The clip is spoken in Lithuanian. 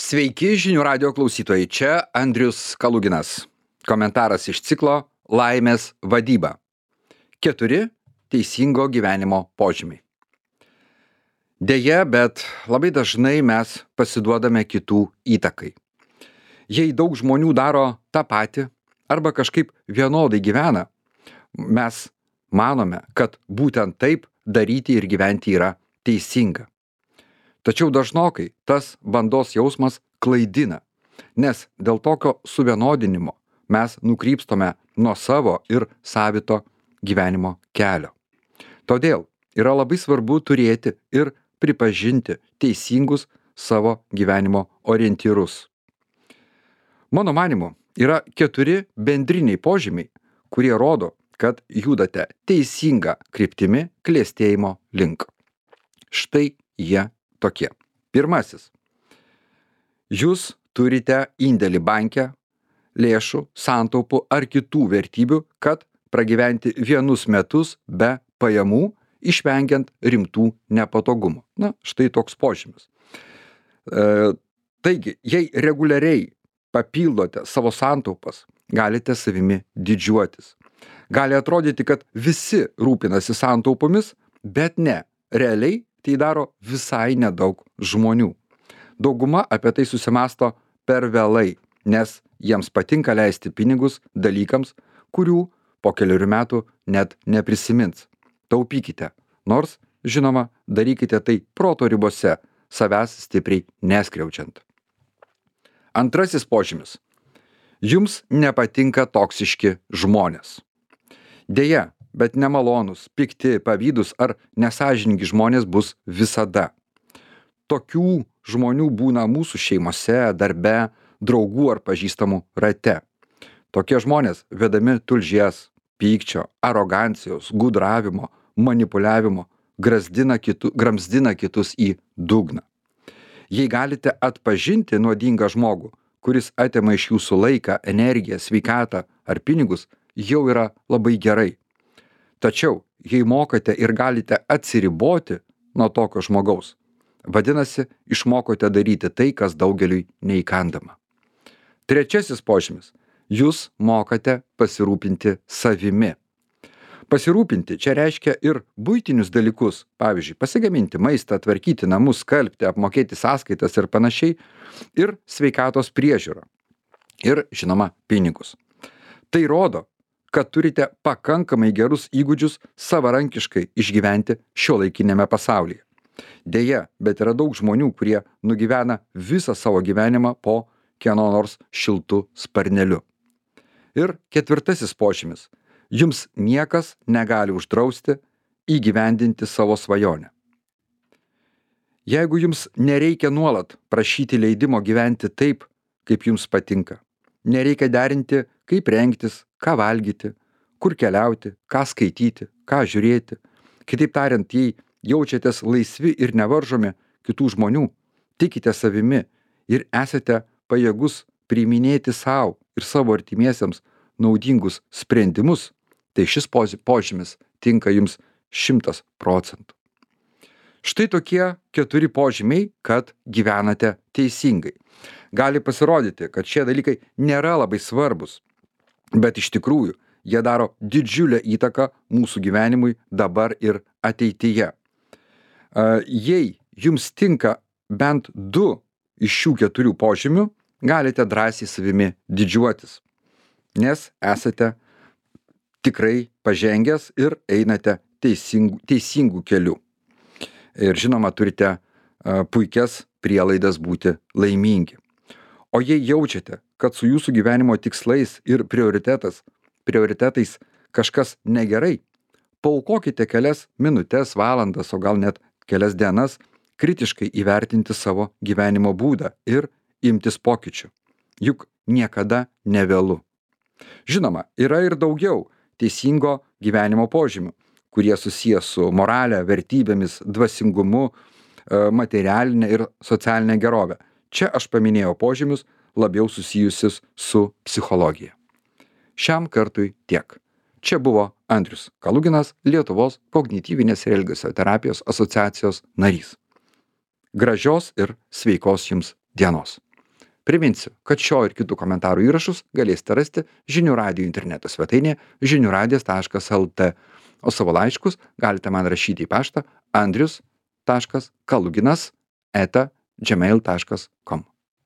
Sveiki žinių radio klausytojai, čia Andrius Kaluginas. Komentaras iš ciklo Laimės vadyba. 4 teisingo gyvenimo požymiai. Deja, bet labai dažnai mes pasiduodame kitų įtakai. Jei daug žmonių daro tą patį arba kažkaip vienodai gyvena, mes manome, kad būtent taip daryti ir gyventi yra teisinga. Tačiau dažnokai tas bandos jausmas klaidina, nes dėl tokio suvienodinimo mes nukrypstame nuo savo ir savito gyvenimo kelio. Todėl yra labai svarbu turėti ir pripažinti teisingus savo gyvenimo orientyrus. Mano manymu, yra 4 bendriniai požymiai, kurie rodo, kad judate teisinga kryptimi klestėjimo link. Štai jie tokie. Pirmasis. Jūs turite indėlį banke, lėšų, santaupų ar kitų vertybių, kad pragyventi vienus metus be pajamų, išvengiant rimtų nepatogumų. Štai toks požymis. Taigi, jei reguliariai papildote savo santaupas, galite savimi didžiuotis. Gali atrodyti, kad visi rūpinasi santaupomis, bet ne, realiai tai daro visai nedaug žmonių. Dauguma apie tai susimąsto per vėlai, nes jiems patinka leisti pinigus dalykams, kurių po kelių metų net neprisimins. Taupykite, nors, žinoma, darykite tai proto ribose, savęs stipriai neskriaučiant. Antrasis požymis. Jums nepatinka toksiški žmonės. Deja, bet nemalonūs, pikti, pavydūs ar nesąžiningi žmonės bus visada. Tokių žmonių būna mūsų šeimose, darbe, draugų ar pažįstamų rate. Tokie žmonės vedami tulžies, pykčio, arogancijos, gudravimo, manipuliavimo, gramzdina kitus į dugną. Jei galite atpažinti nuodingą žmogų, kuris atima iš jūsų laiką, energiją, sveikatą ar pinigus, jau yra labai gerai. Tačiau, jei mokate ir galite atsiriboti nuo tokio žmogaus, vadinasi, išmokote daryti tai, kas daugeliui neįkandama. Trečiasis požymis. Jūs mokate pasirūpinti savimi. Pasirūpinti čia reiškia ir buitinius dalykus, pavyzdžiui, pasigaminti maistą, tvarkyti namus, skalbti, apmokėti sąskaitas ir panašiai, ir sveikatos priežiūrą. Ir, žinoma, pinigus. Tai rodo, kad turite pakankamai gerus įgūdžius savarankiškai išgyventi šiuolaikinėme pasaulyje. Deja, bet yra daug žmonių, kurie nugyvena visą savo gyvenimą po kieno nors šiltu sparneliu. Ir ketvirtasis požymis. Jums niekas negali uždrausti įgyvendinti savo svajonę. Jeigu jums nereikia nuolat prašyti leidimo gyventi taip, kaip jums patinka, nereikia derinti, kaip rengtis, ką valgyti, kur keliauti, ką skaityti, ką žiūrėti. Kitaip tariant, jei jaučiatės laisvi ir nevaržomi kitų žmonių, tikite savimi ir esate pajėgus priiminėti savo ir savo artimiesiems naudingus sprendimus, tai šis požymis tinka jums 100%. Štai tokie 4 požymiai, kad gyvenate teisingai. Gali pasirodyti, kad šie dalykai nėra labai svarbus, bet iš tikrųjų jie daro didžiulę įtaką mūsų gyvenimui dabar ir ateityje. Jei jums tinka bent 2 iš šių 4 požymių, galite drąsiai savimi didžiuotis, nes esate tikrai pažengęs ir einate teisingų kelių. Ir žinoma, turite puikias prielaidas būti laimingi. O jei jaučiate, kad su jūsų gyvenimo tikslais ir prioritetais kažkas negerai, paaukokite kelias minutes, valandas, o gal net kelias dienas kritiškai įvertinti savo gyvenimo būdą ir imtis pokyčių. Juk niekada nevėlu. Žinoma, yra ir daugiau teisingo gyvenimo požymių, kurie susiję su morale, vertybėmis, dvasingumu, materialinė ir socialinė gerovė. Čia aš paminėjau požymius labiau susijusius su psichologija. Šiam kartui tiek. Čia buvo Andrius Kaluginas, Lietuvos kognityvinės ir elgesio terapijos asociacijos narys. Gražios ir sveikos jums dienos. Priminsiu, kad šio ir kitų komentarų įrašus galėsite rasti Žinių radijo interneto svetainėje žiniųradijas.lt, o savo laiškus galite man rašyti į paštą andrius.kaluginas@gmail.com.